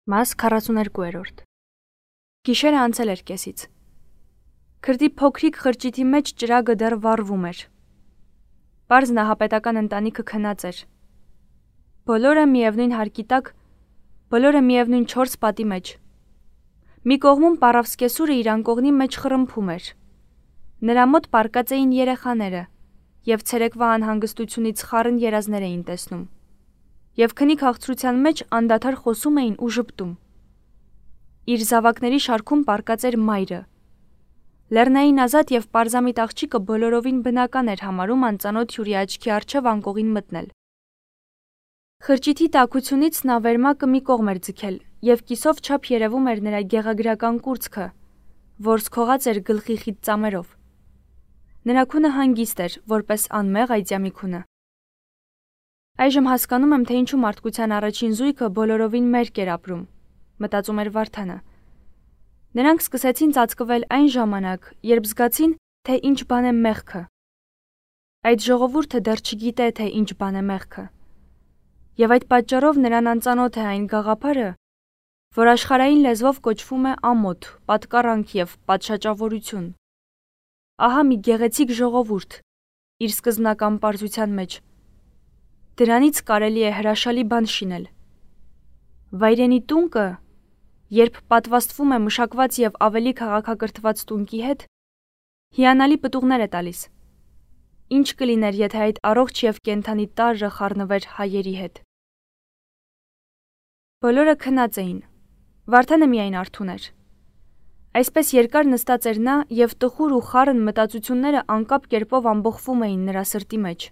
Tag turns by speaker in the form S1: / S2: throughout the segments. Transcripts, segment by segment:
S1: Մաս 42-րդ Գիշերը անցել էր կեսից։ Քրդի փոքրիկ խրճիթի մեջ ճրագը դեռ վառվում էր։ Պարզ նահապետական ընտանիքը քնած էր։ Բոլորը միևնույն հարկի տակ, բոլորը միևնույն 4 պատի մեջ։ Մի կողմում Պարավսկեսուրը իր անկողնի մեջ խռմփում էր։ Նրա մոտ պառկած էին երեխաները, եւ ցերեկվա անհանգստությունից խառն երազներ էին տեսնում։ Եվ քնի քաղցրության մեջ անդադար խոսում էին ու ժպտում։ Իր զավակների շարքում պառկած էր մայրը։ Լեռնային ազատ եւ պարզամիտ աղջիկը բոլորովին բնական էր համարում անծանոթ հյուրի աչքի առջև անկողին մտնել։ Խրճիթի տաքությունից նա վերմակը մի կողմ էր ձգել, եւ կիսով չափ երևում էր նրա գեղագրական կուրծքը, որսքողած էր գլխի խիտ ծամերով։ Նրա քունը հանգիստ էր, որպես անմեղ այծյամի քունը։ Այժմ հասկանում եմ, թե ինչու մարդկության առաջին զույգը բոլորովին մերկ էր ապրում, մտածում էր Վարդանը։ Նրանք սկսեցին ծածկվել այն ժամանակ, երբ զգացին, թե ինչ բան է մեղքը։ Այդ ժողովուրդը դեռ չգիտե, թե ինչ բան է մեղքը։ Եվ այդ պատճառով նրան անծանոթ է այն գաղափարը, որ աշխարհային լեզվով կոչվում է ամոթ, պատկառանք եւ պատշաճավորություն։ Ահա մի գեղեցիկ ժողովուրդ իր սկզբնական պարզության մեջ։ Դրանից կարելի է հրաշալի բան շինել։ Վայրենի տունկը, երբ պատվաստվում է մշակված եւ ավելի քաղաքակրթված տունկի հետ, հիանալի պտուղներ է տալիս։ Ինչ կլիներ, եթե այդ առողջ եւ կենդանի տարրը խառնվեր հայերի հետ։ Բոլորը քնած էին։ Վարդանը միայն արթուն էր։ Այսպես երկար նստած էր նա եւ տխուր ու խառն մտածությունները անկապ կերպով ամբողջվում էին նրա սրտի մեջ։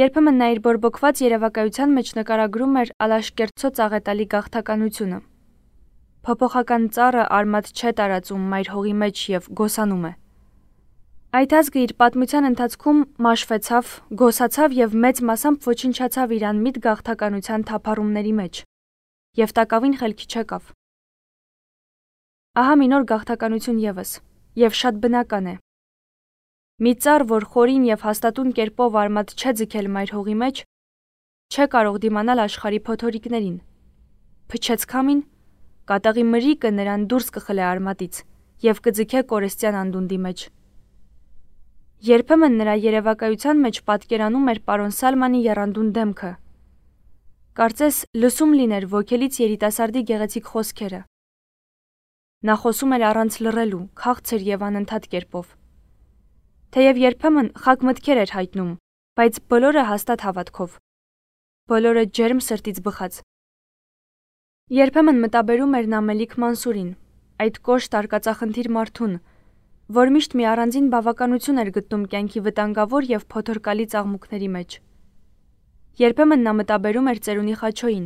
S1: Երբեմն նա իր բորբոքված երևակայության մեջ նկարագրում էր Ալաշկերտցո ծաղետալի գաղթականությունը։ Փոփոխական ծառը արմատ չէ տարածում մայր հողի մեջ եւ գոսանում է։ Այդ ազգը իր պատմության ընթացքում մաշվեցավ, գոսացավ եւ մեծ մասամբ ոչնչացավ իր անմիտ գաղթականության թափառումների մեջ եւ տակավին խելքի չեկավ։ Ահա մի նոր գաղթականություն եւս, եւ շատ բնական է։ Մի ծառ, որ խորին եւ հաստատուն կերպով արմատ չէ ձգել մայր հողի մեջ, չէ կարող դիմանալ աշխարհի փոթորիկներին։ Փչեց քամին, կատաղի մրիկը նրան դուրս կխլե արմատից եւ կձգե կորստյան անդունդի մեջ։ Երբեմն նրա երևակայության մեջ պատկերանում էր պարոն Սալմանի եռանդուն դեմքը։ Կարծես լսում լիներ ոգելից երիտասարդի գեղեցիկ խոսքերը։ Նա խոսում էր առանց լռելու, քաղցր եւ անընդհատ կերպով։ Թեև երբեմն խակ մտքեր էր հայտնում, բայց բոլորը հաստատ հավատքով։ Բոլորը ջերմ սրտից բխած։ Երբեմն մտաբերում էր նա Մելիք Մանսուրին, այդ կոշտ արկածախնդիր մարդուն, որ միշտ մի առանձին բավականություն էր գտնում կյանքի վտանգավոր եւ փոթորկալի ծաղմուկների մեջ։ Երբեմն նա մտաբերում էր ծերունի Խաչոյին,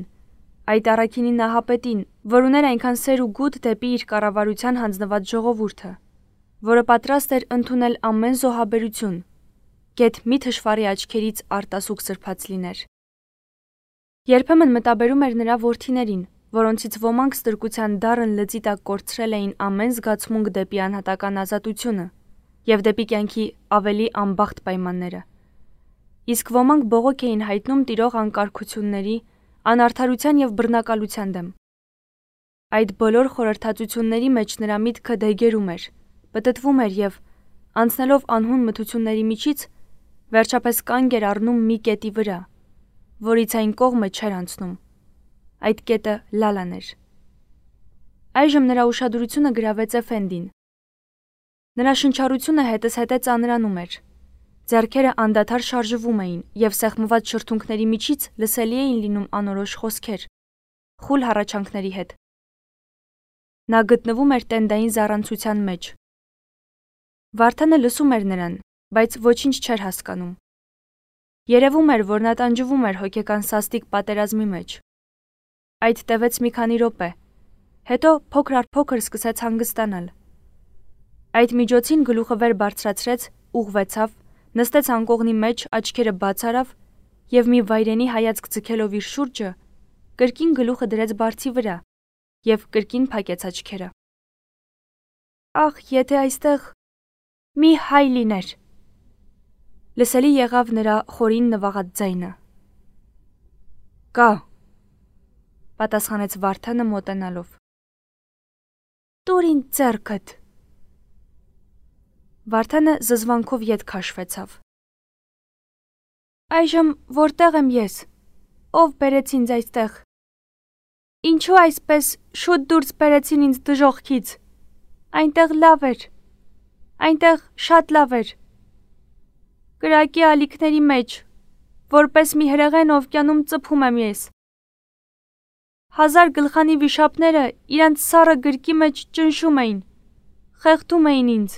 S1: այդ առաքինի նահապետին, որ ուներ այնքան սեր ու գութ դեպի իր կառավարության հանձնված ժողովուրդը, որը պատրաստ էր ընդունել ամեն զոհաբերություն, գեթ մի թշվառի աչքերից արտասուք սրբած լիներ։ Երբեմն մտաբերում էր նրա որդիներին, որոնցից ոմանք ստրկության դառն լծի տակ կորցրել էին ամեն զգացմունք դեպի անհատական ազատությունը եւ դեպի կյանքի ավելի անբախտ պայմանները։ Իսկ ոմանք բողոք էին հայտնում տիրող անկարգությունների, անարդարության եւ բռնակալության դեմ։ Այդ բոլոր խորհրդածությունների մեջ նրա միտքը դեգերում էր, պտտվում էր եւ, անցնելով անհուն մթությունների միջից, վերջապես կանգ էր առնում մի կետի վրա, որից այն կողմը չէր անցնում։ Այդ կետը Լալան էր։ Այժմ նրա ուշադրությունը գրավեց Էֆենդին։ Նրա շնչառությունը հետզհետե ծանրանում էր։ Ձեռքերը անդադար շարժվում էին եւ սեղմված շրթունքների միջից լսելի էին լինում անորոշ խոսքեր, խուլ հառաչանքների հետ։ Նա գտնվում էր տենդային զառանցության մեջ։ Վարդանը լսում էր նրան, բայց ոչինչ չէր հասկանում։ Երևում էր, որ նա տանջվում էր հոգեկան սաստիկ պատերազմի մեջ։ Այդ տևեց մի քանի րոպե, հետո փոքր առ փոքր սկսեց հանգստանալ։ Այդ միջոցին գլուխը վեր բարձրացրեց, ուղղվեցավ, նստեց անկողնի մեջ, աչքերը բաց արավ եւ մի վայրենի հայացք ձգելով իր շուրջը, կրկին գլուխը դրեց բարձի վրա եւ կրկին փակեց աչքերը։ Ախ, եթե այստեղ մի հայ լիներ։ Լսելի եղավ նրա խորին նվաղած ձայնը։ Կա։ պատասխանեց Վարդանը մոտենալով։ Տուր ինձ ձեռքդ։ Վարդանը զզվանքով ետ քաշվեցավ։ Այժմ որտեղ եմ ես։ Ով բերեց ինձ այստեղ։ Ինչու այսպես շուտ դուրս բերեցին ինձ դժոխքից։ Այնտեղ լավ էր։ Այնտեղ շատ լավ էր։ Կրակի ալիքների մեջ, որպես մի հրեղեն օվկիանում ծփում եմ ես։ 1000 գլխանի վիշապները իրանց սառը գրկի մեջ ճնշում էին, խեղդում էին ինձ։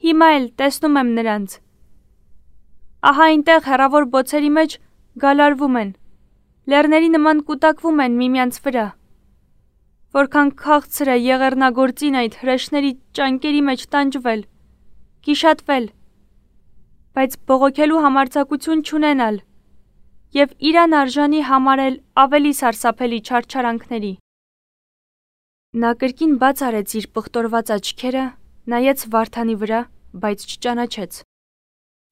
S1: Հիմա էլ տեսնում եմ նրանց։ Ահա այնտեղ հեռավոր բոցերի մեջ գալարվում են, լեռների նման կուտակվում են միմյանց վրա։ Որքան քաղցր է եղեռնագործին այդ հրեշների ճանկերի մեջ տանջվել, գիշատվել, բայց բողոքելու համարձակություն չունենալ և իրան արժանի համարել ավելի սարսափելի չարչարանքների։ Նա կրկին բաց արեց իր պղտորված աչքերը, նայեց Վարդանի վրա, բայց չճանաչեց,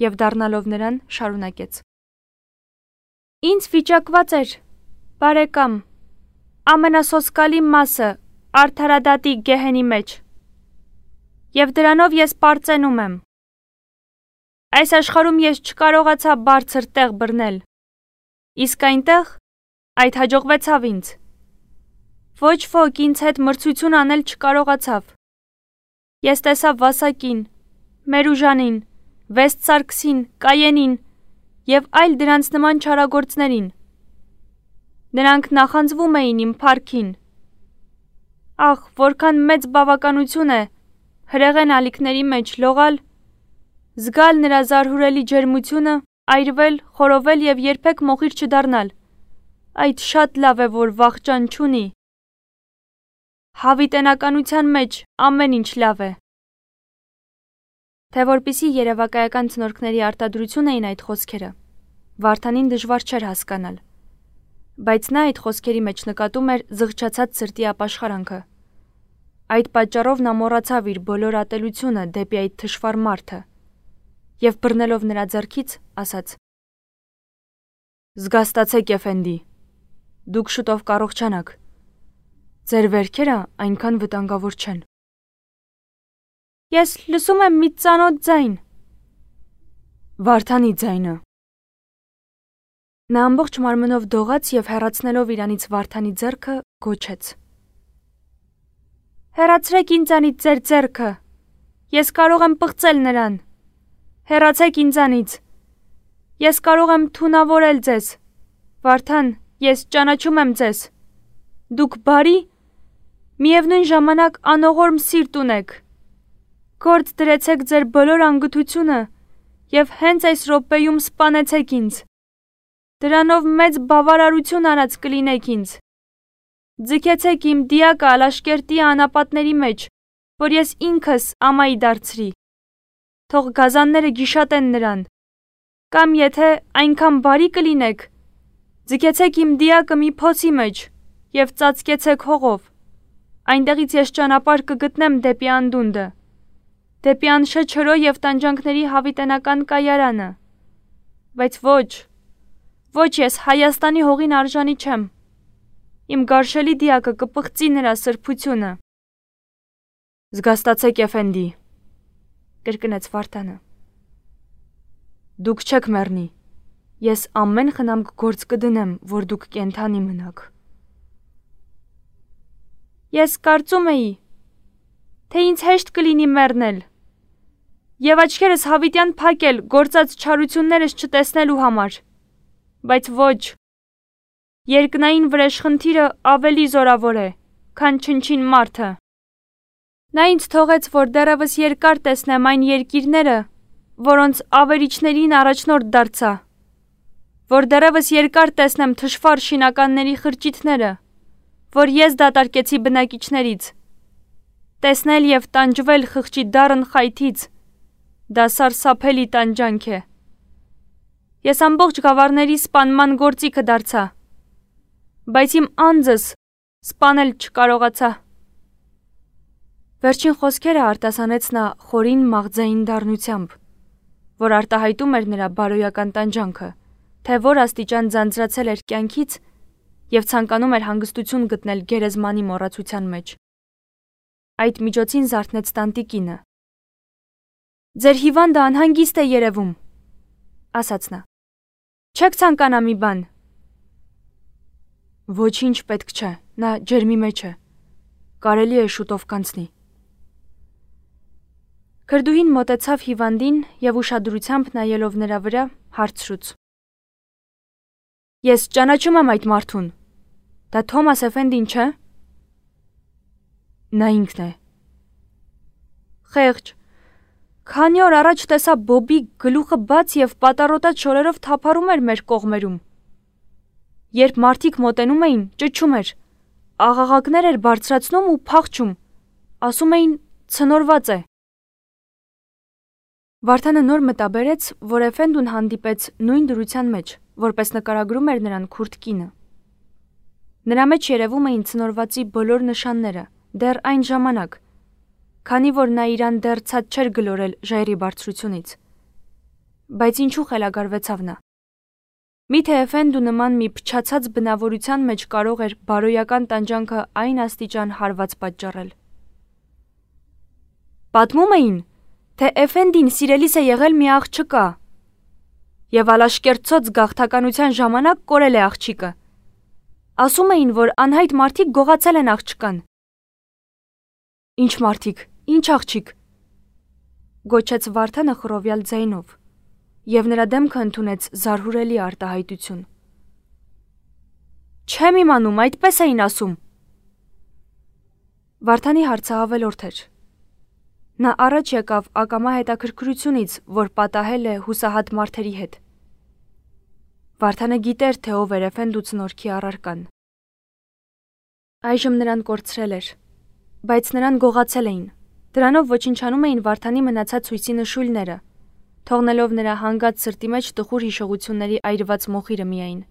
S1: և դառնալով նրան շարունակեց. Ինձ վիճակված էր, բարեկամ, ամենասոսկալի մասը արդարադատի գեհենի մեջ, և դրանով ես պարծենում եմ։ Այս աշխարհում ես չկարողացա բարձր տեղ բռնել, իսկ այնտեղ այդ հաջողվեցավ ինձ։ Ոչ ոք ինձ հետ մրցություն անել չկարողացավ։ Ես տեսա Վասակին, Մերուժանին, Վեստ Սարգսին, Կայենին և այլ դրանց նման չարագործներին։ Նրանք նախանձվում էին իմ փառքին։ Ախ, որքան մեծ բավականություն է հրեղեն ալիքների մեջ լողալ, զգալ նրա զարհուրելի ջերմությունը, այրվել, խորովել և երբեք մոխիր չդառնալ։ Այդ շատ լավ է, որ վախճան չունի։ Հավիտենականության մեջ ամեն ինչ լավ է։ Թե որպեսզի երևակայական ցնորքների արտադրություն էին այդ խոսքերը, Վարդանին դժվար չէր հասկանալ, բայց նա այդ խոսքերի մեջ նկատում էր զղջացած սրտի ապաշխարանքը։ Այդ պատճառով նա մոռացավ իր բոլոր ատելությունը դեպի այդ թշվառ մարդը և բռնելով նրա ձեռքից ասաց. Զգաստացեք, Էֆենդի, դուք շուտով կառողջանաք։ Ձեր վերքերը այնքան վտանգավոր չեն։ Ես լսում եմ մի ծանոթ ձայն։ Վարդանի ձայնը։ Նա ամբողջ մարմնով դողաց և հեռացնելով իրանից Վարդանի ձեռքը գոչեց. Հեռացրեք ինձանից ձեր ձեռքը։ Ես կարող եմ պղծել նրան։ Հեռացեք ինձանից։ Ես կարող եմ թունավորել ձեզ։ Վարդան, ես ճանաչում եմ ձեզ։ Դուք բարի, միևնույն ժամանակ անողորմ սիրտ ունեք։ Գործ դրեցեք ձեր բոլոր անգթությունը և հենց այս րոպեում սպանեցեք ինձ։ Դրանով մեծ բավարարություն արած կլինեք ինձ։ Ձգեցեք իմ դիակը Ալաշկերտի անապատների մեջ, որ ես ինքս ամայի դարձրի։ Թող գազանները գիշատեն նրան։ Կամ եթե այնքան բարի կլինեք, ձգեցեք իմ դիակը մի փոսի մեջ և ծածկեցեք հողով։ Այնտեղից ես ճանապարհ կգտնեմ դեպի անդունդը, դեպի անշե չրո և տանջանքների հավիտենական կայարանը։ Բայց ոչ, ես Հայաստանի հողին արժանի չեմ։ Իմ գարշելի դիակը կպղծի նրա սրբությունը։ Զգաստացեք, Էֆենդի, կրկնեց Վարդանը։ Դուք չեք մեռնի։ Ես ամեն խնամք գործ կդնեմ, որ դուք կենդանի մնաք։ Ես կարծում էի, թե ինձ հեշտ կլինի մեռնել և աչքերս հավիտյան փակել գործած չարություններս չտեսնելու համար, բայց ոչ, երկնային վրեժխնդիրը ավելի զորավոր է, քան չնչին մարդը։ Նա ինձ թողեց, որ դեռևս երկար տեսնեմ այն երկիրները, որոնց ավերիչներին առաջնորդ դարձա, որ դեռևս երկար տեսնեմ թշվառ շինականների խրճիթները, որ ես դատարկեցի բնակիչներից, տեսնել և տանջվել խղճի դառն խայթից, դա սարսափելի տանջանք է։ Ես ամբողջ գավառների սպանման գործիքը դարձա, բայց իմ անձս սպանել չկարողացա։ Վերջին խոսքերը արտասանեց նա խորին մաղձային դառնությամբ, որ արտահայտում էր նրա բարոյական տանջանքը, թե որ աստիճան ձանձրացել էր կյանքից եւ ցանկանում էր հանգստություն գտնել գերեզմանի մոռացության մեջ։ Այդ միջոցին զարթնեց տանտիկինը։ «Ձեր հիվանդը անհանգիստ է երևում», ասաց նա։ «Չեք ցանկանա մի բան»։ Ոչինչ պետք չէ, նա ջերմի մեջ է։ Կարելի է շուտով կանցնի։ Քրդուհին մոտեցավ հիվանդին եւ ուշադրությամբ նայելով նրա վրա հարցրուց. «Ես ճանաչում եմ այդ մարդուն։ Դա Թոմաս Էֆենդին չէ»։ Նա ինքն է։ Խեղճ։ Քանի օր առաջ տեսա Բոբի գլուխը բաց եւ պատառոտած շորերով թափառում էր մեր կողմերում։ Երբ մարդիկ մոտենում էին, ճչում էր, աղաղակներ էր բարձրացնում ու փախչում, ասում էին ցնորված է։ Վարդանը նոր մտաբերեց, որ Էֆենդուն հանդիպեց նույն դրության մեջ, որպես նկարագրում էր նրան քուրդ կինը։ Նրա մեջ երևում էին ցնորվածի բոլոր նշանները, դեռ այն ժամանակ, քանի որ նա իրան դեռ ցած չէր գլորել ժայռի բարձրությունից։ Բայց ինչու խելագարվեցավ նա։ Միթե Էֆենդու նման մի փչացած բնավորության մեջ կարող էր բարոյական տանջանքը այն աստիճան հարված պատճառել։ Պատմում էին, թե Էֆենդին սիրելիս է եղել մի աղջկա, եւ ալաշկերտցոց գաղթականության ժամանակ կորել է աղջիկը։ Ասում էին, որ անհայտ մարդիկ գողացել են աղջկան։ Ինչ մարդիկ, ինչ աղջիկ, գոչեց Վարդանը խռովյալ ձայնով, եւ նրա դեմքը ընդունեց զարհուրելի արտահայտություն։ Չեմ իմանում, այդպես էին ասում։ Վարդանի հարցը ավելորդ էր։ Նա առաջ եկավ ակամա հետաքրքրությունից, որ պատահել է հուսահատ մարդերի հետ։ Վարդանը գիտեր, թե ով էր Էֆենդու ցնորքի առարկան։ Այժմ նրան կորցրել էր, բայց նրան գողացել էին։ Դրանով ոչնչանում էին Վարդանի մնացած հույսի նշույլները, թողնելով նրա հանգած սրտի մեջ տխուր հիշողությունների այրված մոխիրը միայն։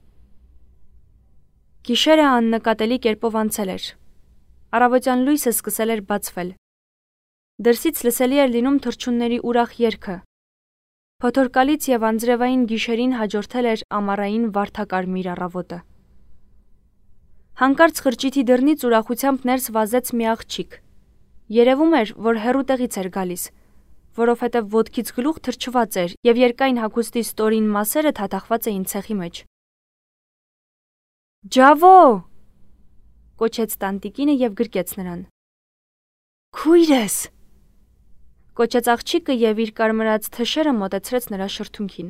S1: Գիշերը աննկատելի կերպով անցել էր։ Առավոտյան լույսը սկսել էր բացվել։ Դրսից լսելի էր լինում թռչունների ուրախ երգը։ Փոթորկալից եւ անձրևային գիշերին հաջորդել էր ամառային վարդակարմիր առավոտը։ Հանկարծ խրճիթի դռնից ուրախությամբ ներս վազեց մի աղջիկ։ Երևում էր, որ հեռու տեղից էր գալիս, որովհետև ոտքից գլուխ թրջված էր եւ երկայն հագուստի ստորին մասերը թաթախված էին ցեխի մեջ։ «Ջավո!» կոչեց տանտիկինը եւ գրկեց նրան։ «Քույրս!» կոչեց աղջիկը եւ իր կարմրած թշերը մոտեցրեց նրա շրթունքին։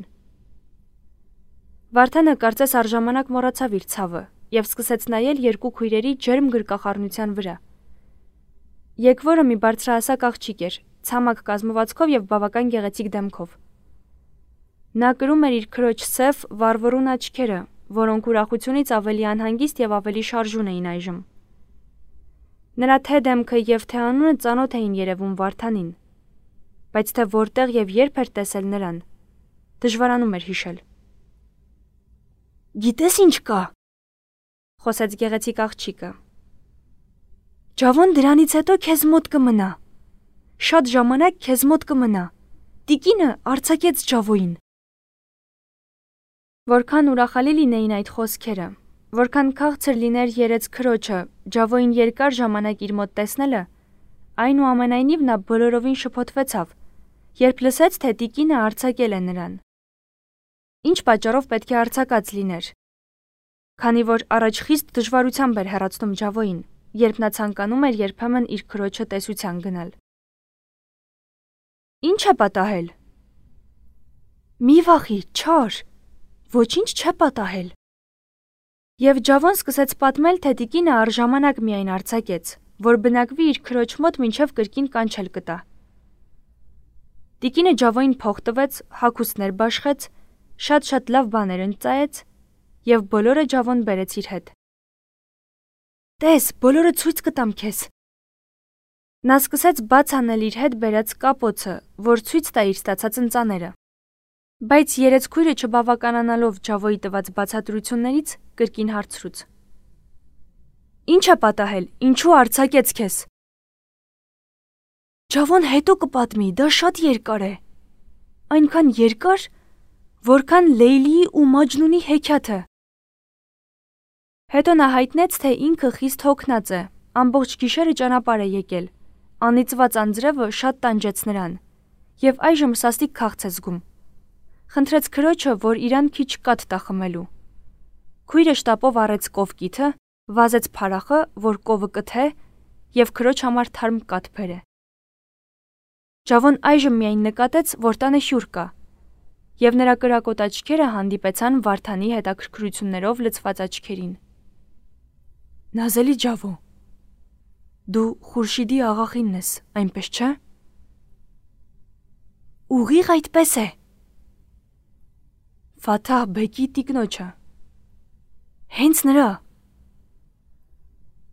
S1: Վարդանը կարծես առժամանակ մոռացավ իր ցավը եւ սկսեց նայել երկու քույրերի ջերմ գրկախառնության վրա։ Եկվորը մի բարձրահասակ աղջիկ էր, ցամաք կազմվածքով եւ բավական գեղեցիկ դեմքով։ Նա կրում էր իր քրոջ սև, վառվռուն աչքերը, որոնք ուրախությունից ավելի անհանգիստ եւ ավելի շարժուն էին այժմ։ Նրա թե դեմքը եւ թե անունը ծանոթ էին երևում Վարդանին, բայց թե որտեղ եւ երբ էր տեսել նրան, դժվարանում էր հիշել։ Գիտես ինչ կա, խոսեց գեղեցիկ աղջիկը։ Ջավոն դրանից հետո քեզ մոտ կմնա։ Շատ ժամանակ քեզ մոտ կմնա։ Տիկինը արձակեց Ջավոին։ Որքան ուրախալի լինեին այդ խոսքերը, որքան քաղցր լիներ երեց քրոջը Ջավոին երկար ժամանակ իր մոտ տեսնելը, այնուամենայնիվ նա բոլորովին շփոթվեցավ, երբ լսեց, թե տիկինը արձակել է նրան։ Ինչ պատճառով պետք է արձակած լիներ, քանի որ առաջ խիստ դժվարությամբ էր հեռացնում Ջավոին, երբ նա ցանկանում էր երբեմն իր քրոջը տեսության գնալ։ Ինչ է պատահել։ Մի վախի, չար, ոչինչ չէ պատահել։ Եվ Ջավոն սկսեց պատմել, թե տիկինը առժամանակ միայն արձակեց, որ բնակվի իր քրոջ մոտ մինչև կրկին կանչել կտա։ Տիկինը Ջավոին փող տվեց, հագուստներ բաշխեց, շատ լավ բաներ ընծայեց եւ բոլորը Ջավոն բերեց իր հետ։ Տես, բոլորը ցույց կտամ քեզ։ Նա սկսեց բաց անել իր հետ բերած կապոցը, որ ցույց տա իր ստացած ընծաները։ Բայց երեցքույրը չբավականանալով Ջավոյի տված բացատրություններից կրկին հարցրուց. Ինչ է պատահել, ինչու արձակեց քեզ։ Ջավոն հետո կպատմի, դա շատ երկար է։ Այնքան երկար, որքան Լեյլիի ու Մաջնունի հեքիաթը։ Հետո նա հայտնեց, թե ինքը խիստ հոգնած է, ամբողջ գիշերը ճանապարհ է եկել, անիծված անձրևը շատ տանջեց նրան, եւ այժմ սաստիկ քաղց է զգում։ Խնդրեց քրոջը, որ իրան քիչ կաթ տա խմելու։ Քույրը շտապով առեց կովկիթը, վազեց փարախը, որ կովը կթե, եւ քրոջ համար թարմ կաթ բերե։ Ջավոն այժմ միայն նկատեց, որ տանը հյուր կա, եւ նրա կրակոտ աչքերը հանդիպեցան Վարդանի հետաքրքրություններով լցված աչքերին։ Նազելի Ջավո, դու Խուրշիդի աղախինն ես, այնպես չէ։ Ուղիղ այդպես է։ Ֆաթահ բեկի տիկնոջը։ Հենց նրա։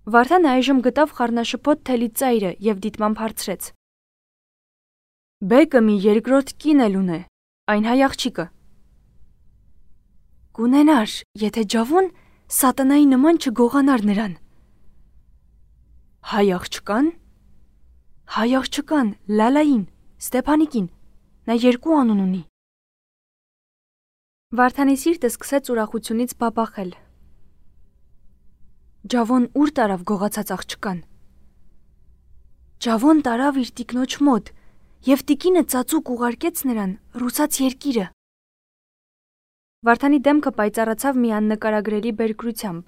S1: Վարդանը այժմ գտավ խառնաշփոթ թելի ծայրը եւ դիտմամբ հարցրեց. Բեկը մի երկրորդ կին էլ ունե, այն հայ աղջիկը։ Կունենար, եթե Ջավոն սատանայի նման չգողանար նրան։ Հայ աղջկան։ Հայ աղջկան, Լալային, Ստեփանիկին, նա երկու անուն ունի։ Վարդանի սիրտը սկսեց ուրախությունից բաբախել։ Ջավոն ուր տարավ գողացած աղջկան։ Ջավոն տարավ իր տիկնոջ մոտ, եւ տիկինը ծածուկ ուղարկեց նրան ռուսաց երկիրը։ Վարդանի դեմքը պայծառացավ մի աննկարագրելի բերկրությամբ,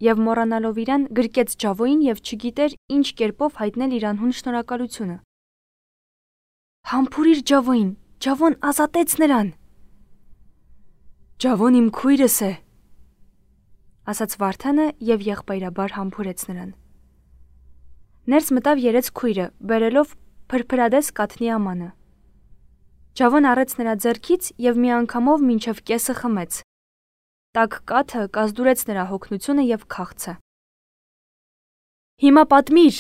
S1: եւ մոռանալով իրան գրկեց Ջավոին եւ չգիտեր ինչ կերպով հայտնել իր անհուն շնորհակալությունը։ Համբուրիր Ջավոին, Ջավոն ազատեց նրան։ Ջավոն իմ քույրս է, ասաց Վարդանը եւ եղբայրաբար համբուրեց նրան։ Ներս մտավ երեց քույրը, բերելով փրփրադես կաթնի ամանը։ Ջավոն առեց նրա ձեռքից եւ մի անգամով մինչև կեսը խմեց։ Տաք կաթը կազդուրեց նրա հոգնությունը եւ քաղցը։ Հիմա պատմիր,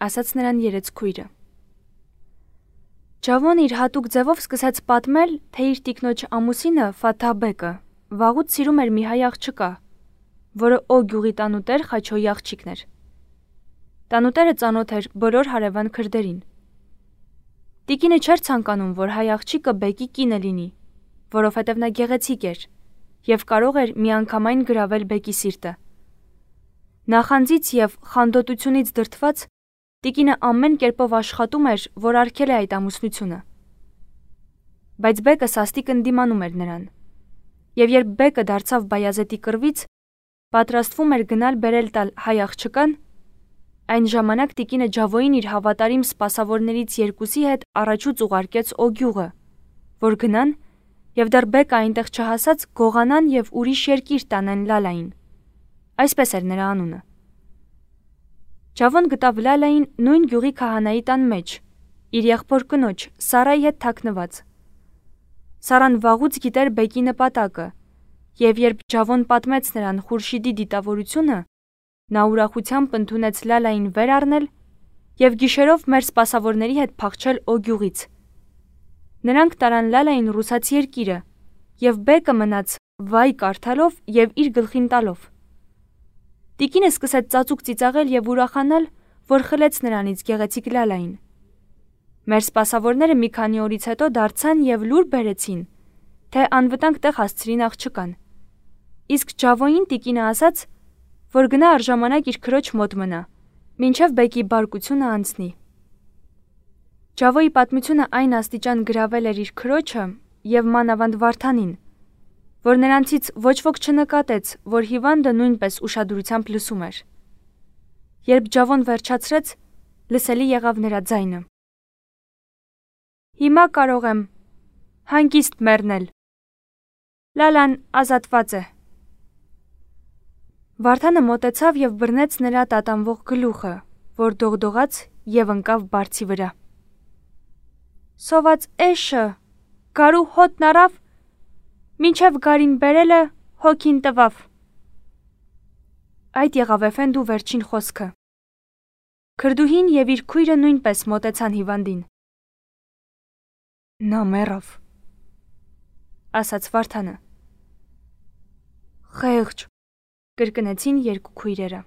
S1: ասաց նրան երեց քույրը։ Ջավոն իր հատուկ ձևով սկսեց պատմել, թե իր տիկնոջ ամուսինը Ֆաթահ բեկը վաղուց սիրում էր մի հայ աղջկա, որը Օ գյուղի տանուտեր Խաչոյի աղջիկն էր։ Տանուտերը ծանոթ էր բոլոր հարևան քրդերին։ Տիկինը չէր ցանկանում, որ հայ աղջիկը բեկի կինը լինի, որովհետև նա գեղեցիկ էր եւ կարող էր միանգամայն գրավել բեկի սիրտը։ Նախանձից եւ խանդոտությունից դրդված տիկինը ամեն կերպով աշխատում էր, որ արգել է այդ ամուսնությունը։ Բայց բեկը սաստիկ ընդդիմանում էր նրան։ Եվ երբ բեկը դարձավ Բայազետի կռվից, պատրաստվում էր գնալ բերել տալ հայ աղջկան, այն ժամանակ տիկինը Ջավոին իր հավատարիմ սպասավորներից երկուսի հետ առաջուց ուղարկեց Օ գյուղը, որ գնան եւ դեռ բեկը այնտեղ չհասած գողանան եւ ուրիշ երկիր տանեն Լալային։ Այսպես էր նրա անունը։ Ջավոն գտավ Լալային նույն գյուղի քահանայի տան մեջ, իր եղբոր կնոջ Սարայի հետ թաքնված։ Սարան վաղուց գիտեր բեկի նպատակը, եւ երբ Ջավոն պատմեց նրան Խուրշիդի դիտավորությունը, նա ուրախությամբ ընդունեց Լալային վեր առնել եւ գիշերով մեր սպասավորների հետ փախչել Օ գյուղից։ Նրանք տարան Լալային ռուսաց երկիրը, եւ բեկը մնաց վայ կարդալով եւ իր գլխին տալով։ Տիկինը սկսեց ծածուկ ծիծաղել եւ ուրախանալ, որ խլեց նրանից գեղեցիկ Լալային։ Մեր սպասավորները մի քանի օրից հետո դարձան եւ լուր բերեցին, թե անվտանգ տեղ հասցրին աղջկան։ Իսկ Ջավոին տիկինը ասաց, որ գնա առժամանակ իր քրոջ մոտ մնա, մինչև բեկի բարկությունը անցնի։ Ջավոյի պատմությունը այն աստիճան գրավել էր իր քրոջը եւ մանավանդ Վարդանին, որ նրանցից ոչ ոք չնկատեց, որ հիվանդը նույնպես ուշադրությամբ լսում էր։ Երբ Ջավոն վերջացրեց, լսելի եղավ նրա ձայնը։ Հիմա կարող եմ հանգիստ մեռնել։ Լալան ազատված է։ Վարդանը մոտեցավ եւ բռնեց նրա տատանվող գլուխը, որ դողդողաց եւ ընկավ բարձի վրա։ Սոված էշը, գարու հոտն առավ, մինչև գարին բերելը հոգին տվավ։ Այդ եղավ էֆենդու վերջին խոսքը։ Քրդուհին եւ իր քույրը նույնպես մոտեցան հիվանդին։ Նա մեռավ, ասաց Վարդանը։ Խեղճ, կրկնեցին երկու քույրերը։